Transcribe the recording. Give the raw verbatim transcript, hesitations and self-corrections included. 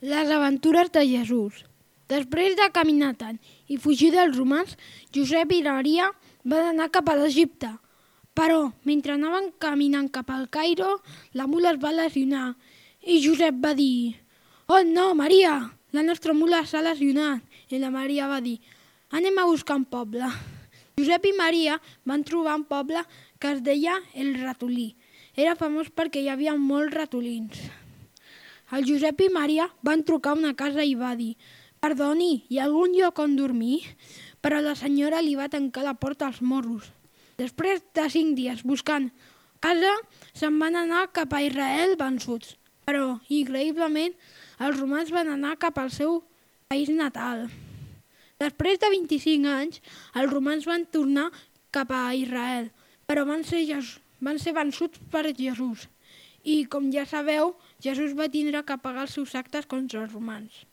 Les aventures de Jesús. Després de caminar tant i fugir dels romans, Josep i Maria van anar cap a l'Egipte. Però, mentre anaven caminant cap al Cairo, la mula es va lesionar i Josep va dir: «Oh no, Maria, la nostra mula s'ha lesionat!» I la Maria va dir: «Anem a buscar un poble». Josep i Maria van trobar un poble que es deia El Ratolí. Era famós perquè hi havia molts ratolins. El Josep i Maria van trucar a una casa i va dir: «Perdoni, hi ha algun lloc on dormir?» Però la senyora li va tancar la porta als morros. Després de cinc dies buscant casa, se'n van anar cap a Israel vençuts. Però, increïblement, els romans van anar cap al seu país natal. Després de vint-i-cinc anys, els romans van tornar cap a Israel, però van ser, van ser vençuts per Jesús. I, com ja sabeu, Jesús va tindre que pagar els seus actes contra els romans.